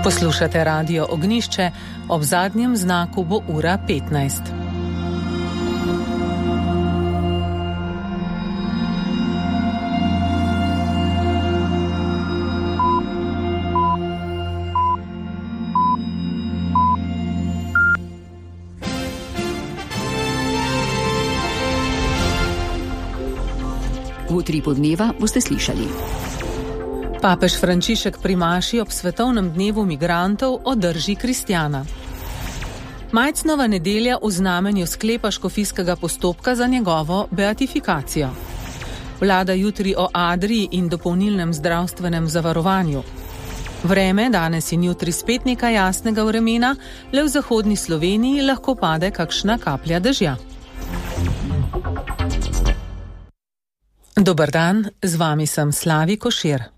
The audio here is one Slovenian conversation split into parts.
Poslušate Radio Ognjišče, ob zadnjem znaku bo ura 15. V tri podneva boste slišali. Papež Frančišek pri maši ob svetovnem dnevu migrantov o drži kristjana. Majcnova nedelja v znamenju sklepa škofijskega postopka za njegovo beatifikacijo. Vlada jutri o Adriji in dopolnilnem zdravstvenem zavarovanju. Vreme danes in jutri spet nekaj jasnega vremena, le v zahodni Sloveniji lahko pade kakšna kaplja dežja. Dober dan, z vami sem Slavi Košir.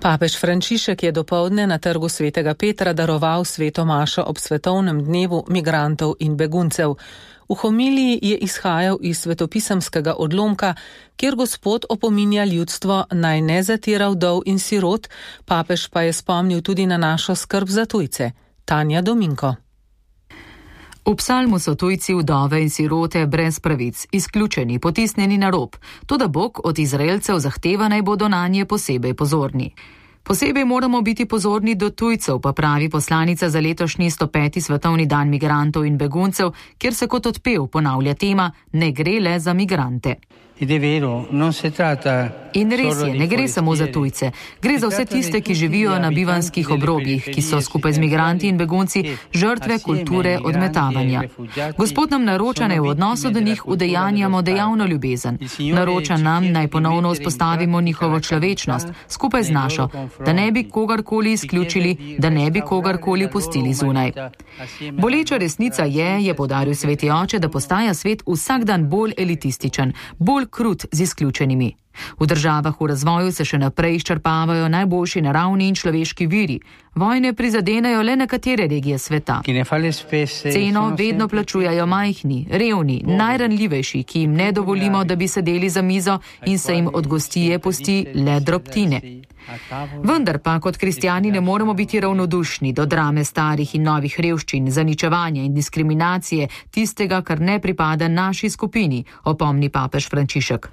Papež Frančišek je dopoldne na trgu Svetega Petra daroval sveto mašo ob svetovnem dnevu migrantov in beguncev. V homiliji je izhajal iz svetopisemskega odlomka, kjer Gospod opominja ljudstvo naj ne zatira vdov in sirot, papež pa je spomnil tudi na našo skrb za tujce. Tanja Dominko. V psalmu so tujci, vdove in sirote brez pravic, izključeni, potisnjeni na rob. Toda Bog od Izraelcev zahteva, naj bodo nanje posebej pozorni. Posebej moramo biti pozorni do tujcev, pa pravi poslanica za letošnji 105. svetovni dan migrantov in beguncev, kjer se kot odpev ponavlja tema ne gre le za migrante. In res je, ne gre samo za tujce. Gre za vse tiste, ki živijo na bivanskih obrobjih, ki so skupaj z migranti in begunci žrtve kulture odmetavanja. Gospod nam naroča, naj v odnosu do njih udejanjamo dejavno ljubezen. Naroča nam, naj ponovno vzpostavimo njihovo človečnost, skupaj z našo, da ne bi kogarkoli izključili, da ne bi kogarkoli pustili zunaj. Boleča resnica je poudaril sveti oče, da postaja svet vsak dan bolj elitističen, bolj krut z izključenimi. V državah v razvoju se še naprej izčrpavajo najboljši naravni in človeški viri. Vojne prizadenejo le nekatere regije sveta. Ceno vedno plačujajo majhni, revni, najranljivejši, ki jim ne dovolimo, da bi sedeli za mizo in se jim od gostije pusti le drobtine. Vendar pa kot kristjani ne moremo biti ravnodušni do drame starih in novih revščin, zaničevanja in diskriminacije, tistega, kar ne pripada naši skupini, opomni papež Frančišek.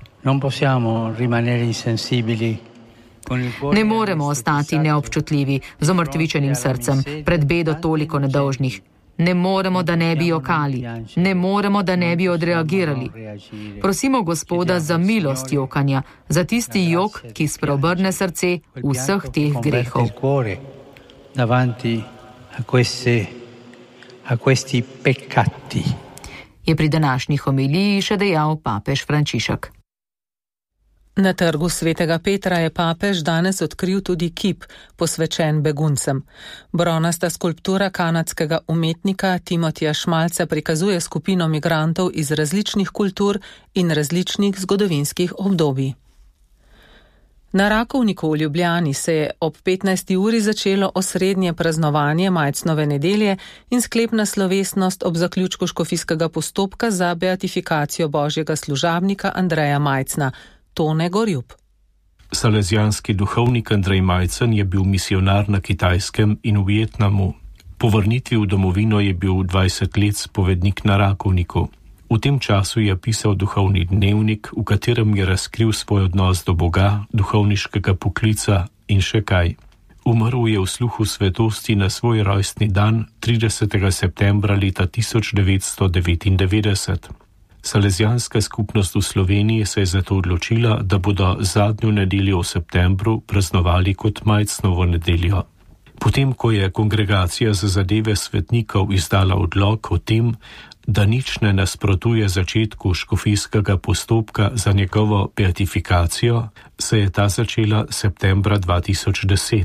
Ne moremo ostati neobčutljivi, z omrtvičenim srcem, pred bedo toliko nedolžnih. Ne moremo, da ne bi jokali, ne moremo, da ne bi odreagirali. Prosimo Gospoda za milost jokanja, za tisti jok, ki spreobrne srce vseh teh grehov. Je pri današnji homiliji še dejal papež Frančišek. Na trgu Svetega Petra je papež danes odkril tudi kip, posvečen beguncem. Bronasta skulptura kanadskega umetnika Timotija Šmalca prikazuje skupino migrantov iz različnih kultur in različnih zgodovinskih obdobij. Na Rakovniku v Ljubljani se je ob 15. uri začelo osrednje praznovanje Majcnove nedelje in sklepna slovesnost ob zaključku škofijskega postopka za beatifikacijo božjega služabnika Andreja Majcna, Tone Gorjub. Salezijanski duhovnik Andrej Majcen je bil misionar na Kitajskem in v Vietnamu. Po vrnitvi v domovino je bil 20 let spovednik na Rakovniku. V tem času je pisal duhovni dnevnik, v katerem je razkril svoj odnos do Boga, duhovniškega poklica in še kaj. Umrl je v sluhu svetosti na svoj rojstni dan 30. septembra leta 1999. Salezijanska skupnost v Sloveniji se je zato odločila, da bodo zadnjo nedeljo v septembru praznovali kot Majcnovo nedeljo. Potem, ko je kongregacija za zadeve svetnikov izdala odlok o tem, da nič ne nasprotuje začetku škofijskega postopka za njegovo beatifikacijo, se je ta začela septembra 2010.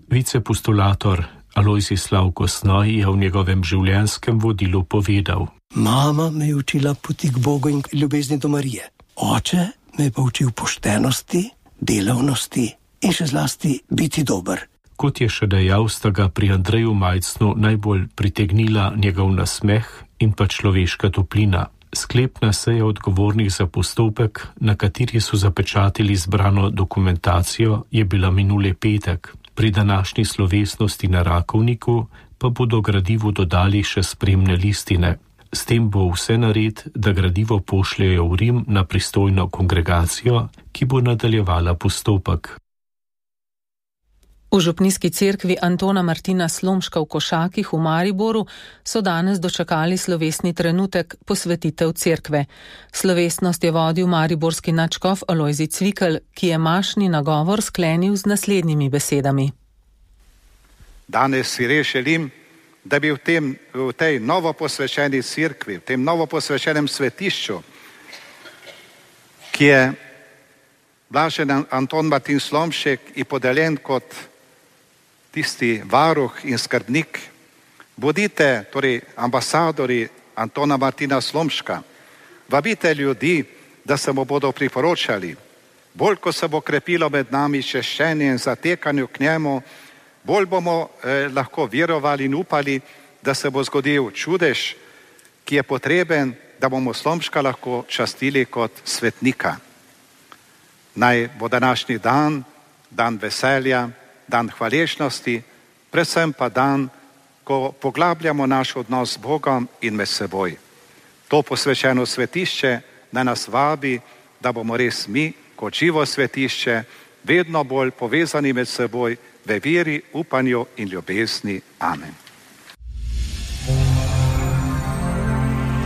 Vicepostulator Alojzij Slavko Snoj je v njegovem življenjskem vodilu povedal: Mama me je učila poti k Bogu in ljubezni do Marije. Oče me je pa učil poštenosti, delavnosti in še zlasti biti dober. Kot je še dejal, sta ga pri Andreju Majcnu najbolj pritegnila njegov nasmeh in pa človeška toplina. Sklepna seja odgovornih za postopek, na kateri so zapečatili zbrano dokumentacijo, je bila minuli petek. Pri današnji slovesnosti na Rakovniku pa bodo gradivu dodali še spremne listine. S tem bo vse nared, da gradivo pošljejo v Rim na pristojno kongregacijo, ki bo nadaljevala postopek. V župnijski cerkvi Antona Martina Slomška v Košakih v Mariboru so danes dočakali slovesni trenutek posvetitev cerkve. Slovesnost je vodil mariborski nadškof Alojzij Cvikl, ki je mašni nagovor sklenil z naslednjimi besedami. Danes si res želim, da bi v tej novo posvečeni cerkvi, v tem novo posvečenem svetišču, ki je blažen Anton Martin Slomšek in podeljen kot tisti varuh in skrbnik, bodite, torej ambasadori Antona Martina Slomška, vabite ljudi, da se mu bodo priporočali. Bolj, ko se bo krepilo med nami češčenje in zatekanju k njemu, bolj bomo lahko verovali in upali, da se bo zgodil čudež, ki je potreben, da bomo Slomška lahko častili kot svetnika. Naj bo današnji dan, dan veselja, dan hvaležnosti, predvsem pa dan, ko poglabljamo naš odnos z Bogom in med seboj. To posvečeno svetišče naj nas vabi, da bomo res mi, kot živo svetišče, vedno bolj povezani med seboj v veri, upanju in ljubezni. Amen.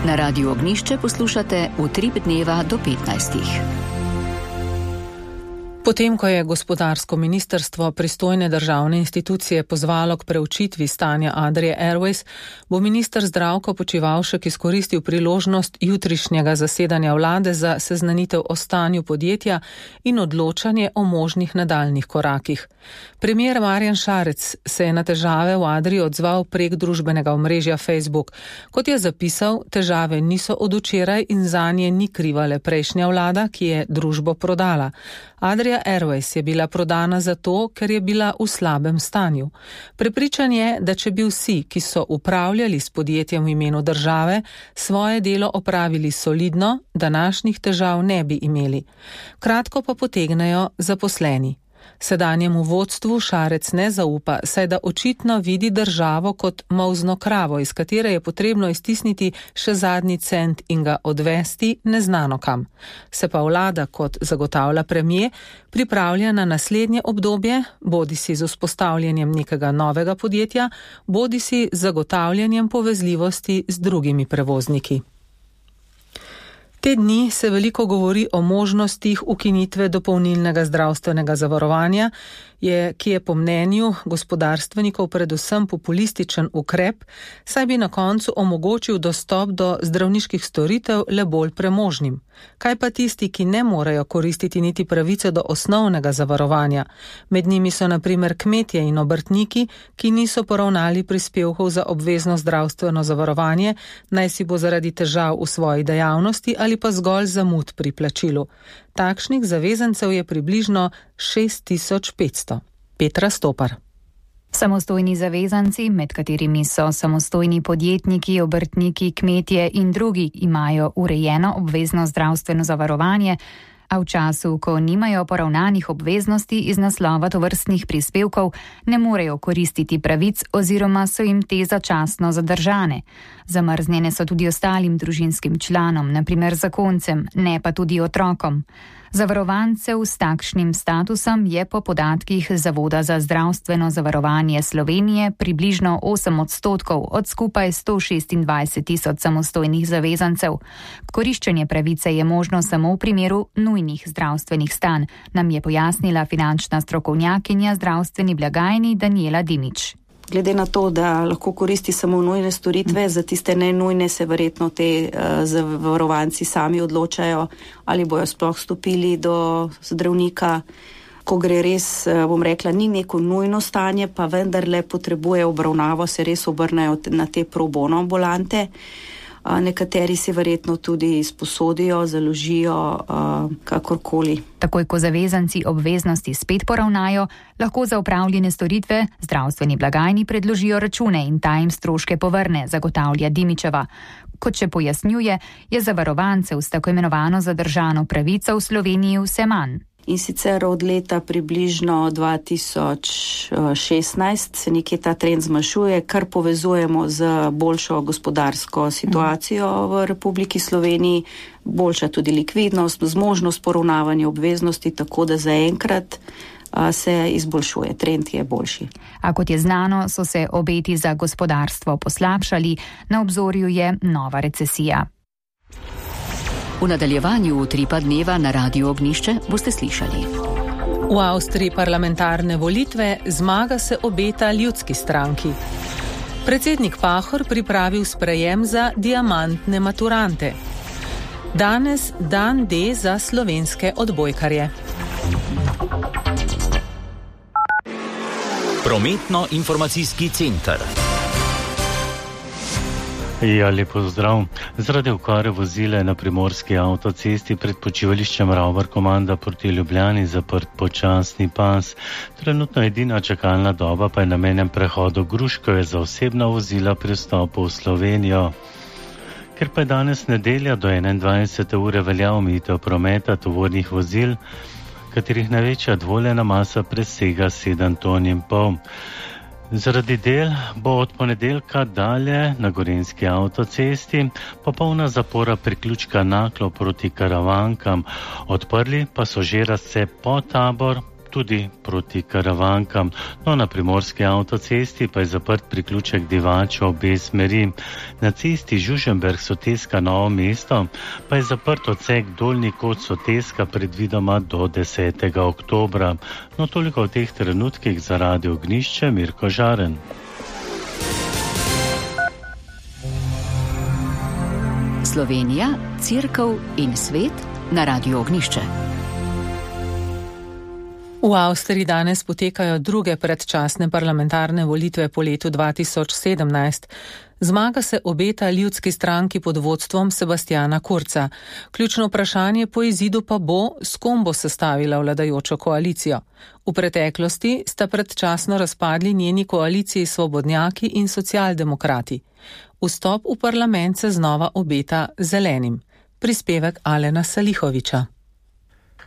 Na Radiu Ognjišče poslušate Utrip dneva do 15. Potem, ko je gospodarsko ministrstvo pristojne državne institucije pozvalo k preučitvi stanja Adrie Airways, bo minister Zdravko Počivalšek izkoristil priložnost jutrišnjega zasedanja vlade za seznanitev o stanju podjetja in odločanje o možnih nadaljnih korakih. Premier Marjan Šarec se je na težave v Adrii odzval prek družbenega omrežja Facebook. Kot je zapisal, težave niso od včeraj in zanje ni kriva le prejšnja vlada, ki je družbo prodala. Adria Airways je bila prodana zato, ker je bila v slabem stanju. Prepričan je, da če bi vsi, ki so upravljali s podjetjem v imenu države, svoje delo opravili solidno, današnjih težav ne bi imeli. Kratko pa potegnejo zaposleni. Sedanjemu vodstvu Šarec ne zaupa, saj da očitno vidi državo kot molzno kravo, iz katere je potrebno iztisniti še zadnji cent in ga odvesti neznano kam. Se pa vlada, kot zagotavlja premier, pripravlja na naslednje obdobje, bodisi z vzpostavljanjem nekega novega podjetja, bodisi z zagotavljanjem povezljivosti z drugimi prevozniki. Te dni se veliko govori o možnostih ukinitve dopolnilnega zdravstvenega zavarovanja, ki je po mnenju gospodarstvenikov predvsem populističen ukrep, saj bi na koncu omogočil dostop do zdravniških storitev le bolj premožnim. Kaj pa tisti, ki ne morejo koristiti niti pravice do osnovnega zavarovanja? Med njimi so na primer kmetje in obrtniki, ki niso poravnali prispevkov za obvezno zdravstveno zavarovanje, naj si bo zaradi težav v svoji dejavnosti ali pa zgolj zamud pri plačilu. Takšnih zavezancev je približno 6500. Petra Stopar. Samostojni zavezanci, med katerimi so samostojni podjetniki, obrtniki, kmetje in drugi, imajo urejeno obvezno zdravstveno zavarovanje, a v času, ko nimajo poravnanih obveznosti iz naslova tovrstnih prispevkov, ne morejo koristiti pravic oziroma so jim te začasno zadržane. Zamrznjene so tudi ostalim družinskim članom, na primer zakoncem, ne pa tudi otrokom. Zavarovancev s takšnim statusom je po podatkih Zavoda za zdravstveno zavarovanje Slovenije približno 8% od skupaj 126 000 samostojnih zavezancev. Koriščenje pravice je možno samo v primeru nujnih zdravstvenih stanj, nam je pojasnila finančna strokovnjakinja zdravstveni blagajni Danijela Dimič. Glede na to, da lahko koristi samo nujne storitve, za tiste nenujne se verjetno te zavarovanci sami odločajo, ali bojo sploh stopili do zdravnika, ko gre res, bom rekla, ni neko nujno stanje, pa vendarle potrebuje obravnavo, se res obrnejo na te pro bono ambulante. Nekateri si verjetno tudi sposodijo, založijo, kakorkoli. Takoj, ko zavezanci obveznosti spet poravnajo, lahko za opravljene storitve zdravstveni blagajni predložijo račune in ta jim stroške povrne, zagotavlja Dimičeva. Kot še pojasnjuje, je zavarovancev s tako imenovano zadržano pravico v Sloveniji vse manj. In sicer od leta približno 2016 se nekje ta trend zmanjšuje, kar povezujemo z boljšo gospodarsko situacijo v Republiki Sloveniji, boljša tudi likvidnost, zmožnost poravnavanja obveznosti, tako da zaenkrat se izboljšuje, trend je boljši. A kot je znano, so se obeti za gospodarstvo poslabšali, na obzorju je nova recesija. V nadaljevanju Utripa dneva na Radiu Ognjišče boste slišali. V Avstriji parlamentarne volitve, zmaga se obeta ljudski stranki. Predsednik Pahor pripravil sprejem za diamantne maturante. Danes dan D za slovenske odbojkarje. Prometno-informacijski center. Ja, lepo zdrav. Zaradi okvare vozila je na primorski avtocesti pred počivališčem Ravbar komanda proti Ljubljani zaprt počasni pas. Trenutno edina čakalna doba pa je na mejnem prehodu Gruškovje za osebna vozila pri vstopu v Slovenijo. Ker pa je danes nedelja do 21. ure velja omejitev prometa tovornih vozil, katerih največja dovoljena masa presega 7,5 ton. Zaradi del bo od ponedeljka dalje na Gorenjski avtocesti popolna zapora priključka Naklo proti Karavankam. Odprli pa so že razcep Podtabor tudi proti Karavankam. No, na primorski avtocesti pa je zaprt priključek Divača obe smeri. Na cesti Žužemberk-Soteska Novo mesto pa je zaprt odsek Dolnji kot Soteska predvidoma do 10. oktobra. No, toliko v teh trenutkih za Radio Ognjišče, Mirko Žaren. Slovenija, Cerkev in svet na Radiu Ognjišče. V Avstriji danes potekajo druge predčasne parlamentarne volitve po letu 2017. Zmaga se obeta ljudski stranki pod vodstvom Sebastiana Kurza. Ključno vprašanje po izidu pa bo, s kom bo sestavila vladajočo koalicijo. V preteklosti sta predčasno razpadli njeni koaliciji Svobodnjaki in Socialdemokrati. Vstop v parlament se znova obeta zelenim. Prispevek Alena Salihoviča.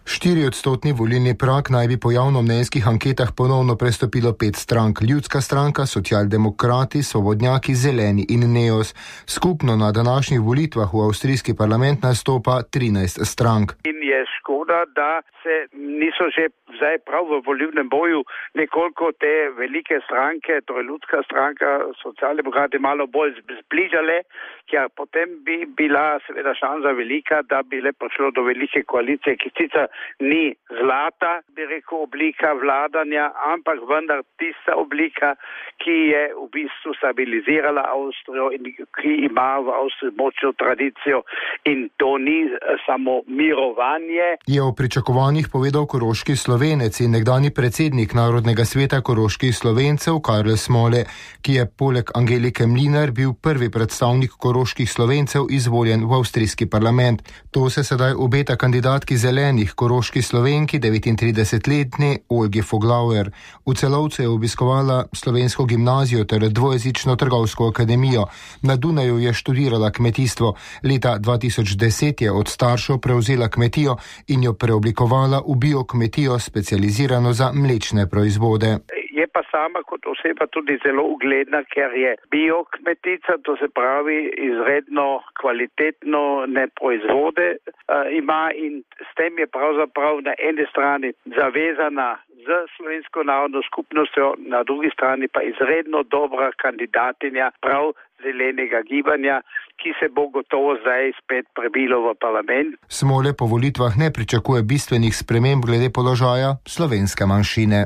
4% volilni prag naj bi po javnomnenjskih anketah ponovno prestopilo 5 strank. Ljudska stranka, Socialdemokrati, Svobodnjaki, Zeleni in Neos. Skupno na današnjih volitvah v avstrijski parlament nastopa 13 strank. In je škoda, da se niso že zdaj prav v volilnem boju nekoliko te velike stranke, torej Ljudska stranka, Socialdemokrati malo bolj zbližale, ker potem bi bila seveda šansa velika, da bi le prišlo do velike koalicije, ki sicer ni zlata, bi rekel, oblika vladanja, ampak vendar tista oblika, ki je v bistvu stabilizirala Avstrijo in ki ima v Avstriji močno tradicijo, in to ni samo mirovanje. Je o pričakovanjih povedal koroški Slovenec in nekdani predsednik Narodnega sveta koroških Slovencev Karl Smole, ki je poleg Angelike Mlinar bil prvi predstavnik koroških Slovencev izvoljen v avstrijski parlament. To se sedaj obeta kandidatki zelenih koroški Slovenki, 39-letni Olgi Foglauer. V Celovcu je obiskovala slovensko gimnazijo ter dvojezično trgovsko akademijo. Na Dunaju je študirala kmetijstvo. Leta 2010 je od staršev prevzela kmetijo in jo preoblikovala v biokmetijo, specializirano za mlečne proizvode. Je pa sama kot oseba tudi zelo ugledna, ker je biokmetica, to se pravi izredno kvalitetno proizvode ima, in s tem je pravzaprav na eni strani zavezana z slovensko narodno skupnostjo, na drugi strani pa izredno dobra kandidatinja prav zelenega gibanja, ki se bo gotovo zdaj spet prebilo v parlament. Smole po volitvah ne pričakuje bistvenih sprememb glede položaja slovenske manjšine.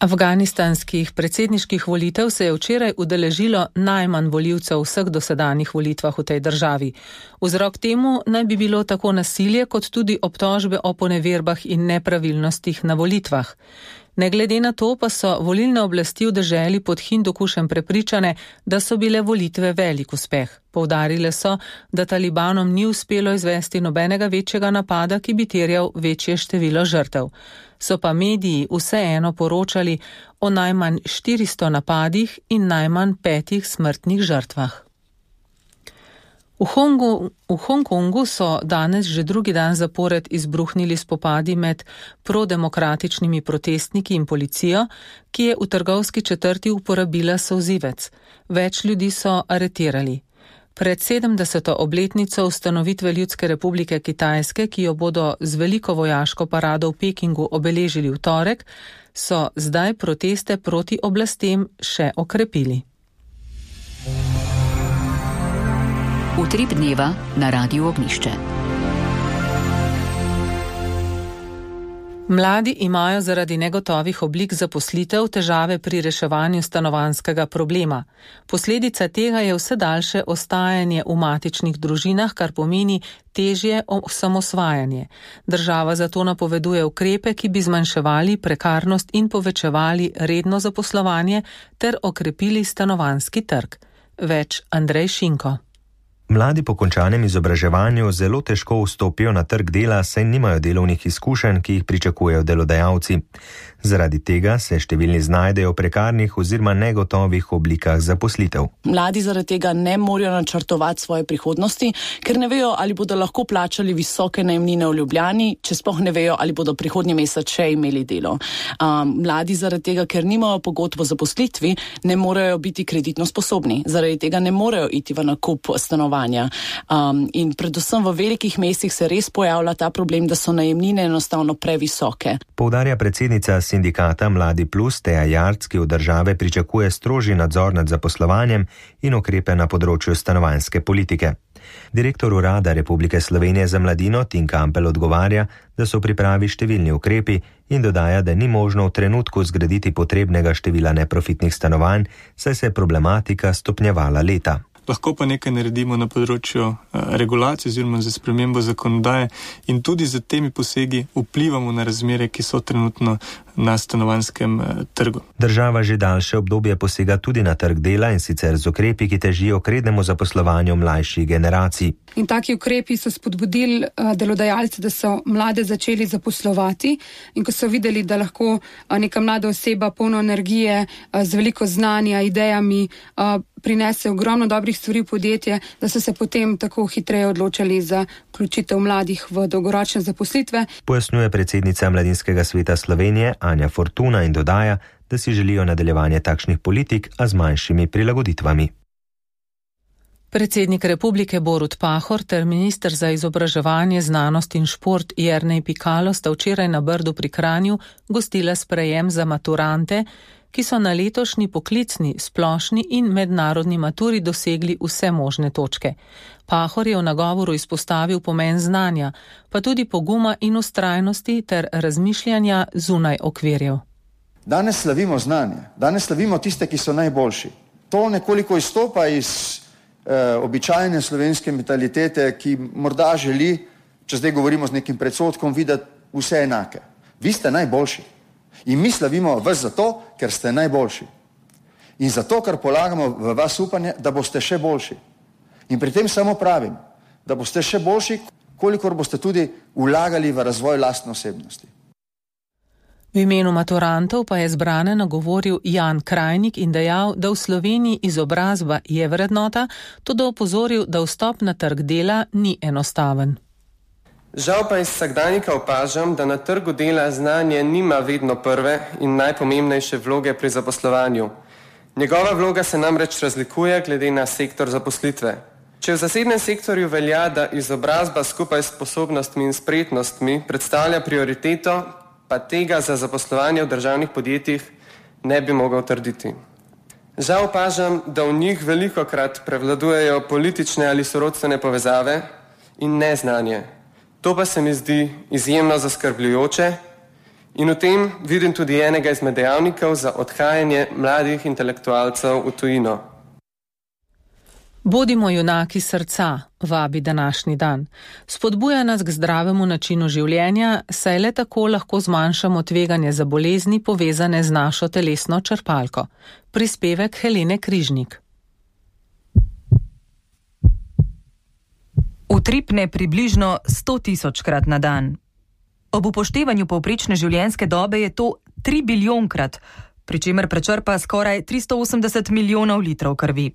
Afganistanskih predsedniških volitev se je včeraj udeležilo najmanj volivcev v vseh dosedanjih volitvah v tej državi. Vzrok temu naj bi bilo tako nasilje kot tudi obtožbe o poneverbah in nepravilnostih na volitvah. Ne glede na to pa so volilne oblasti v deželi pod Hindukušem prepričane, da so bile volitve velik uspeh. Poudarile so, da talibanom ni uspelo izvesti nobenega večjega napada, ki bi terjal večje število žrtev. So pa mediji vseeno poročali o najmanj 400 napadih in najmanj 5 smrtnih žrtvah. V Hongkongu so danes že drugi dan zapored izbruhnili spopadi med prodemokratičnimi protestniki in policijo, ki je v trgovski četrti uporabila solzivec. Več ljudi so aretirali. Pred 70. obletnico ustanovitve Ljudske republike Kitajske, ki jo bodo z veliko vojaško parado v Pekingu obeležili v torek, so zdaj proteste proti oblastem še okrepili. Utrip dneva na Radiu Ognišče. Mladi imajo zaradi negotovih oblik zaposlitev težave pri reševanju stanovanjskega problema. Posledica tega je vse daljše ostajanje v matičnih družinah, kar pomeni težje osamosvajanje. Država zato napoveduje ukrepe, ki bi zmanjševali prekarnost in povečevali redno zaposlovanje ter okrepili stanovanjski trg. Več Andrej Šinko. Mladi po končanem izobraževanju zelo težko vstopijo na trg dela, saj nimajo delovnih izkušenj, ki jih pričakujejo delodajalci. Zaradi tega se številni znajdejo v prekarnih oziroma negotovih oblikah zaposlitev. Mladi zaradi tega ne morejo načrtovati svoje prihodnosti, ker ne vejo, ali bodo lahko plačali visoke najemnine v Ljubljani, če sploh ne vejo, ali bodo prihodnji mesec še imeli delo. Mladi zaradi tega, ker nimajo pogodb o zaposlitvi, ne morejo biti kreditno sposobni. Zaradi tega ne morejo iti v nakup stanovanja. In predvsem v velikih mestih se res pojavlja ta problem, da so najemnine enostavno previsoke. Poudarja predsednica sindikata Mladi Plus Teja Jarc, ki od države pričakuje strožji nadzor nad zaposlovanjem in ukrepe na področju stanovanjske politike. Direktor Urada Republike Slovenije za mladino Tin Kampel odgovarja, da so v pripravi številni ukrepi in dodaja, da ni možno v trenutku zgraditi potrebnega števila neprofitnih stanovanj, saj se je problematika stopnjevala leta. Lahko pa nekaj naredimo na področju regulacije oziroma za spremembo zakonodaje in tudi z temi posegi vplivamo na razmere, ki so trenutno na stanovanjskem trgu. Država že daljše obdobje posega tudi na trg dela in sicer z ukrepi, ki težijo k rednemu zaposlovanju mlajših generacij. In taki ukrepi so spodbudili delodajalce, da so mlade začeli zaposlovati in ko so videli, da lahko neka mlada oseba polno energije, z veliko znanja, idejami, prinese ogromno dobrih stvari v podjetje, da so se potem tako hitreje odločali za vključitev mladih v dolgoročne zaposlitve. Pojasnjuje predsednica Mladinskega sveta Slovenije Anja Fortuna in dodaja, da si želijo nadaljevanje takšnih politik, a z manjšimi prilagoditvami. Predsednik republike Borut Pahor ter minister za izobraževanje, znanost in šport Jernej Pikalo sta včeraj na Brdu pri Kranju gostila sprejem za maturante, ki so na letošnji poklicni, splošni in mednarodni maturi dosegli vse možne točke. Pahor je v nagovoru izpostavil pomen znanja, pa tudi poguma in vztrajnosti ter razmišljanja zunaj okvirjev. Danes slavimo znanje, danes slavimo tiste, ki so najboljši. To nekoliko izstopa iz običajne slovenske mentalitete, ki morda želi, če zdaj govorimo z nekim predsodkom, videti vse enake. Vi ste najboljši. In mi slavimo vas zato, ker ste najboljši. In zato, ker polagamo v vas upanje, da boste še boljši. In pri tem samo pravim, da boste še boljši, kolikor boste tudi vlagali v razvoj lastne osebnosti. V imenu maturantov pa je zbrane nagovoril Jan Krajnik in dejal, da v Sloveniji izobrazba je vrednota, tudi opozoril, da vstop na trg dela ni enostaven. Žal pa iz vsakdanjika opažam, da na trgu dela znanje nima vedno prve in najpomembnejše vloge pri zaposlovanju. Njegova vloga se namreč razlikuje glede na sektor zaposlitve. Če v zasebnem sektorju velja, da izobrazba skupaj s sposobnostmi in spretnostmi predstavlja prioriteto, pa tega za zaposlovanje v državnih podjetjih ne bi mogel trditi. Žal opažam, da v njih velikokrat prevladujejo politične ali sorodstvene povezave in neznanje. To pa se mi zdi izjemno zaskrbljujoče in v tem vidim tudi enega izmed dejavnikov za odhajanje mladih intelektualcev v tujino. Bodimo junaki srca, vabi današnji dan. Spodbuja nas k zdravemu načinu življenja, saj le tako lahko zmanjšamo tveganje za bolezni povezane z našo telesno črpalko. Prispevek Helene Križnik. Utripne približno 100.000-krat na dan. Ob upoštevanju povprečne življenjske dobe je to 3 biljonkrat, pri čemer prečrpa skoraj 380 milijonov litrov krvi.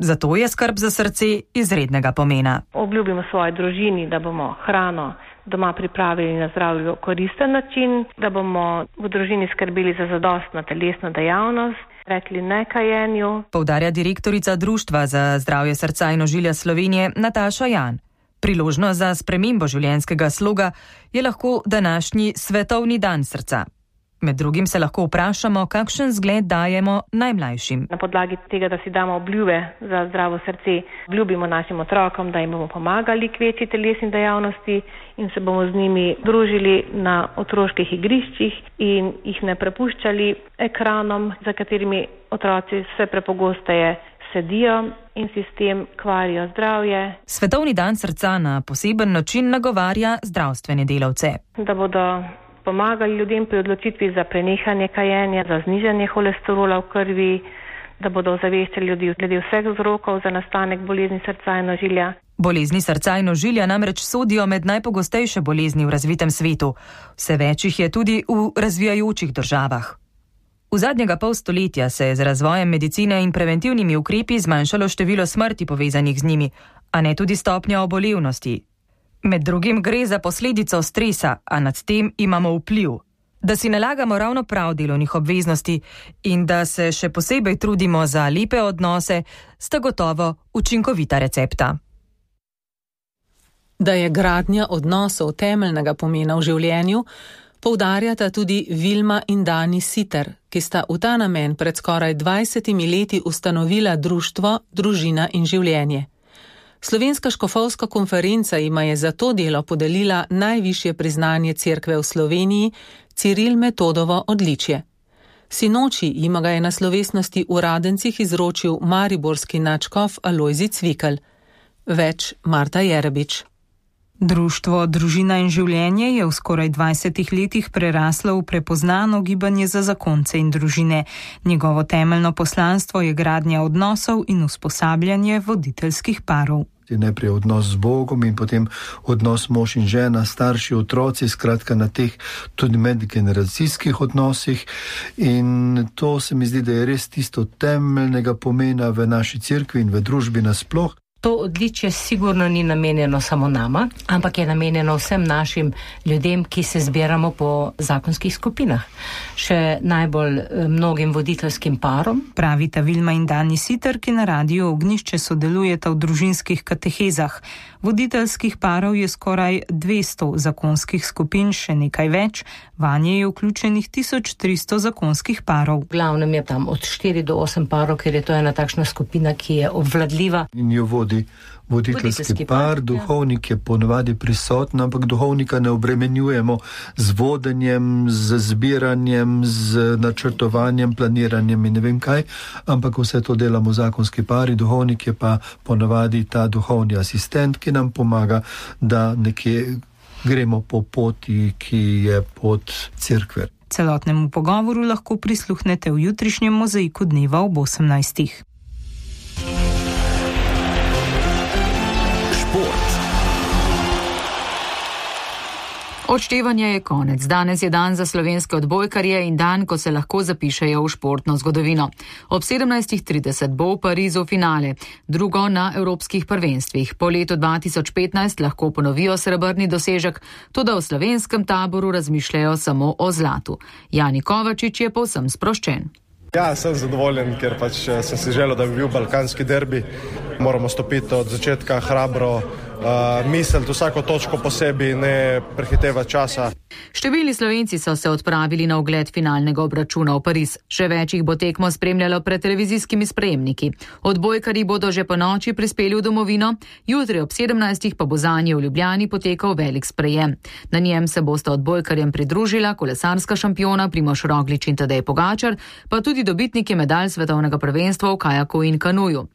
Zato je skrb za srce izrednega pomena. Obljubimo svoji družini, da bomo hrano doma pripravili na zdravju koristen način, da bomo v družini skrbeli za zadostno telesno dejavnost, rekli ne kajenju. Poudarja direktorica Društva za zdravje srca in ožilja Slovenije Nataša Jan. Priložnost za spremembo življenjskega sloga je lahko današnji svetovni dan srca. Med drugim se lahko vprašamo, kakšen zgled dajemo najmlajšim. Na podlagi tega, da si damo obljube za zdravo srce, obljubimo našim otrokom, da jim bomo pomagali k večji telesni dejavnosti in se bomo z njimi družili na otroških igriščih in jih ne prepuščali ekranom, za katerimi otroci vse prepogosteje sedijo in si s tem kvarijo zdravje. Svetovni dan srca na poseben način nagovarja zdravstvene delavce. Da bodo pomagali ljudem pri odločitvi za prenehanje kajenja, za znižanje holesterola v krvi, da bodo ozaveščali ljudi glede vseh vzrokov za nastanek bolezni srca in ožilja. Bolezni srca in ožilja namreč sodijo med najpogostejše bolezni v razvitem svetu. Vse več jih je tudi v razvijajočih državah. V zadnjega pol stoletja se je z razvojem medicine in preventivnimi ukrepi zmanjšalo število smrti povezanih z njimi, a ne tudi stopnja obolevnosti. Med drugim gre za posledico stresa, a nad tem imamo vpliv. Da si nalagamo ravno prav delovnih obveznosti in da se še posebej trudimo za lepe odnose, sta gotovo učinkovita recepta. Da je gradnja odnosov temeljnega pomena v življenju, poudarjata tudi Vilma in Dani Siter, ki sta v ta namen pred skoraj 20 leti ustanovila društvo Družina in življenje. Slovenska škofovska konferenca jima je za to delo podelila najvišje priznanje cerkve v Sloveniji, Ciril Metodovo odličje. Sinoči jima ga je na slovesnosti v Radencih izročil mariborski nadškof Alojzij Cvikl. Več Marta Jerebič. Društvo Družina in življenje je v skoraj 20 letih preraslo v prepoznano gibanje za zakonce in družine. Njegovo temeljno poslanstvo je gradnja odnosov in usposabljanje voditeljskih parov. Najprej odnos z Bogom in potem odnos mož in žena, starši, otroci, skratka na teh tudi medgeneracijskih odnosih. In to se mi zdi, da je res tisto temeljnega pomena v naši cerkvi in v družbi nasploh. To odličje sigurno ni namenjeno samo nama, ampak je namenjeno vsem našim ljudem, ki se zbiramo po zakonskih skupinah. Še najbolj mnogim voditeljskim parom. Pravita Vilma in Dani Siter, ki na Radiu Ognjišče sodelujeta v družinskih katehezah. Voditeljskih parov je skoraj 200 zakonskih skupin, še nekaj več. Vanje je vključenih 1300 zakonskih parov. V glavnem je tam od 4 do 8 parov, ker je to ena takšna skupina, ki je obvladljiva. In jo vodi voditeljski par, duhovnik je ponavadi prisoten, ampak duhovnika ne obremenjujemo z vodenjem, z zbiranjem, z načrtovanjem, planiranjem in ne vem kaj, ampak vse to delamo zakonski pari, duhovnik je pa ponavadi ta duhovni asistent, ki nam pomaga, da nekje gremo po poti, ki je pot cerkve. Celotnemu pogovoru lahko prisluhnete v jutrišnjem mozaiku dneva ob 18. Odštevanje je konec. Danes je dan za slovenske odbojkarje in dan, ko se lahko zapišejo v športno zgodovino. Ob 17:30 bo v Parizu finale, drugo na evropskih prvenstvih. Po letu 2015 lahko ponovijo srebrni dosežek, toda v slovenskem taboru razmišljajo samo o zlatu. Jani Kovačič je povsem sproščen. Ja, sem zadovoljen, ker sem si želel, da bi bil balkanski derbi. Moramo stopiti od začetka hrabro, misliti vsako točko posebej, ne prehitevati časa. Številni Slovenci so se odpravili na ogled finalnega obračuna v Pariz. Še več jih bo tekmo spremljalo pred televizijskimi sprejemniki. Odbojkarji bodo že po noči prispeli v domovino, jutri ob 17. pa bo zanje v Ljubljani potekal velik sprejem. Na njem se bosta odbojkarjem pridružila kolesarska šampiona Primož Roglič in Tadej Pogačar, pa tudi dobitniki medalj svetovnega prvenstva v kajaku in kanuju.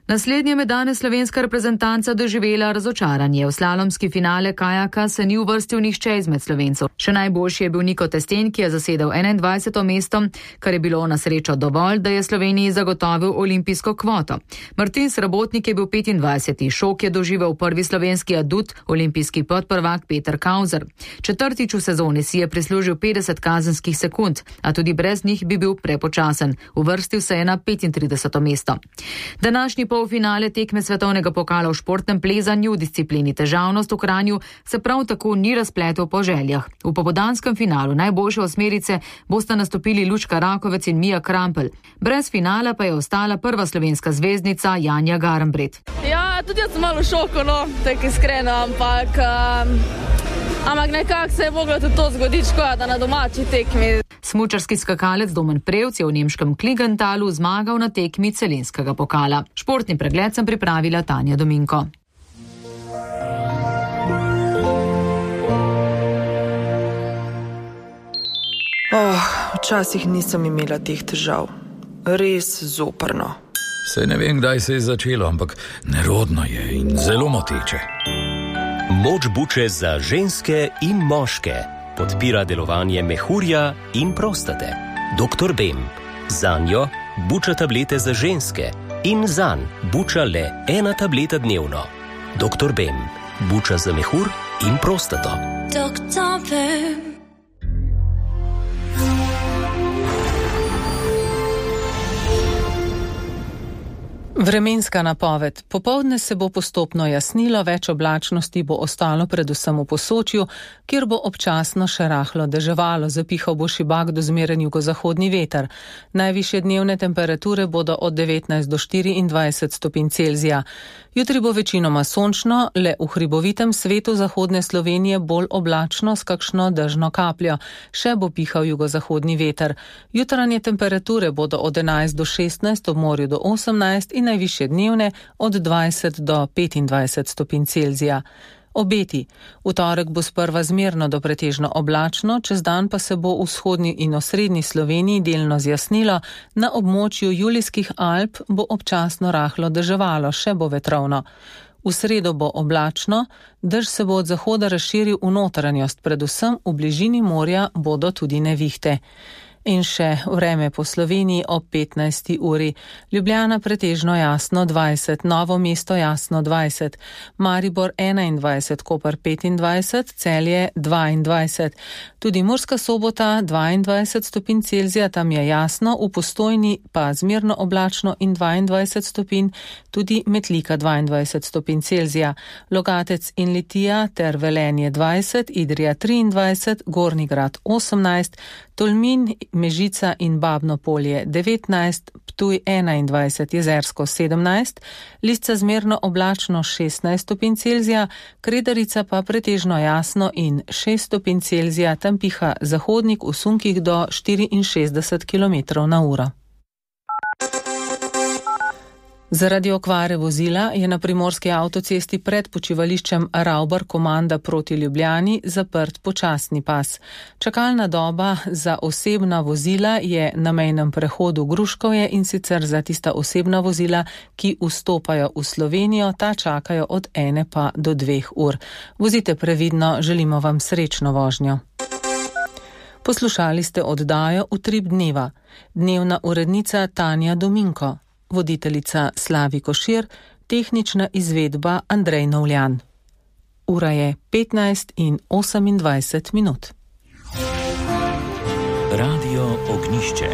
Naslednje med danes slovenska reprezentanca doživela razočaranje. V slalomski finale kajaka se ni uvrstil nihče izmed Slovencev. Še najboljši je bil Niko Testen, ki je zasedel 21. mesto, kar je bilo na srečo dovolj, da je Sloveniji zagotovil olimpijsko kvoto. Martin Srabotnik je bil 25. Šok je doživel prvi slovenski adut, olimpijski podprvak Peter Kauzer. Četrtič v sezoni si je prislužil 50 kazenskih sekund, a tudi brez njih bi bil prepočasen. Uvrstil se je na 35. mesto. Današnji polfinale tekme svetovnega pokala v športnem plezanju v disciplini težavnost v Kranju se prav tako ni razpletel po željah. V popoldanskem finalu najboljše osmerice bosta nastopili Lučka Rakovec in Mija Krampelj. Brez finala pa je ostala prva slovenska zvezdnica Janja Garnbret. Ja, tudi jaz sem malo v šoku, tako iskreno, ampak nekako se je moglo tudi to zgoditi, da na domači tekmi. Smučarski skakalec Domen Prevc je v nemškem Kligentalu zmagal na tekmi celinskega pokala. Športni pregled sem pripravila Tanja Dominko. Včasih nisem imela teh težav. Res zoprno. Saj ne vem, kdaj se je začelo, ampak nerodno je in zelo moteče. Moč buče za ženske in moške. Podpira delovanje mehurja in prostate. Dr. Bem. Zanjo buča tablete za ženske in zanj buča le 1 tableta dnevno. Dr. Bem. Buča za mehur in prostato. Dr. Bem. Vremenska napoved. Popoldne se bo postopno jasnilo, več oblačnosti bo ostalo predvsem v Posočju, kjer bo občasno še rahlo deževalo, zapihal bo šibak do zmeren jugozahodni veter. Najvišje dnevne temperature bodo od 19 do 24 stopinj Celzija. Jutri bo večinoma sončno, le v hribovitem svetu zahodne Slovenije bolj oblačno s kakšno dežno kapljo. Še bo pihal jugozahodni veter. Jutranje temperature bodo od 11 do 16, ob morju do 18 in najvišje dnevne od 20 do 25 stopinj Celzija. Obeti. V torek bo sprva zmerno do pretežno oblačno, čez dan pa se bo v vzhodni in osrednji Sloveniji delno zjasnilo, na območju Julijskih Alp bo občasno rahlo deževalo, še bo vetrovno. V sredo bo oblačno, dež se bo od zahoda razširil v notranjost, predvsem v bližini morja bodo tudi nevihte. In še vreme po Sloveniji ob 15. uri. Ljubljana pretežno jasno 20, Novo mesto jasno 20, Maribor 21, Koper 25, Celje 22. Tudi Murska Sobota 22 stopinj Celzija, tam je jasno, v Postojni pa zmerno oblačno in 22 stopinj, tudi Metlika 22 stopinj Celzija, Logatec in Litija ter Velenje 20, Idrija 23, Gornji Grad 18, Tolmin, Mežica in Babno Polje 19, Ptuj 21, Jezersko 17, Lisca zmerno oblačno 16 stopinj Celzija, Kredarica pa pretežno jasno in 6 stopinj Celzija, tam piha zahodnik v sunkih do 64 km/h. Zaradi okvare vozila je na primorski avtocesti pred počivališčem Ravbar Komanda proti Ljubljani zaprt počasni pas. Čakalna doba za osebna vozila je na mejnem prehodu Gruškovje, in sicer za tista osebna vozila, ki vstopajo v Slovenijo, ta čakajo od 1 pa do 2 ur. Vozite previdno, želimo vam srečno vožnjo. Poslušali ste oddajo Utrip dneva. Dnevna urednica Tanja Dominko. Voditeljica Slavi Košir, tehnična izvedba Andrej Novljan. Ura je 15:28. Radio Ognjišče.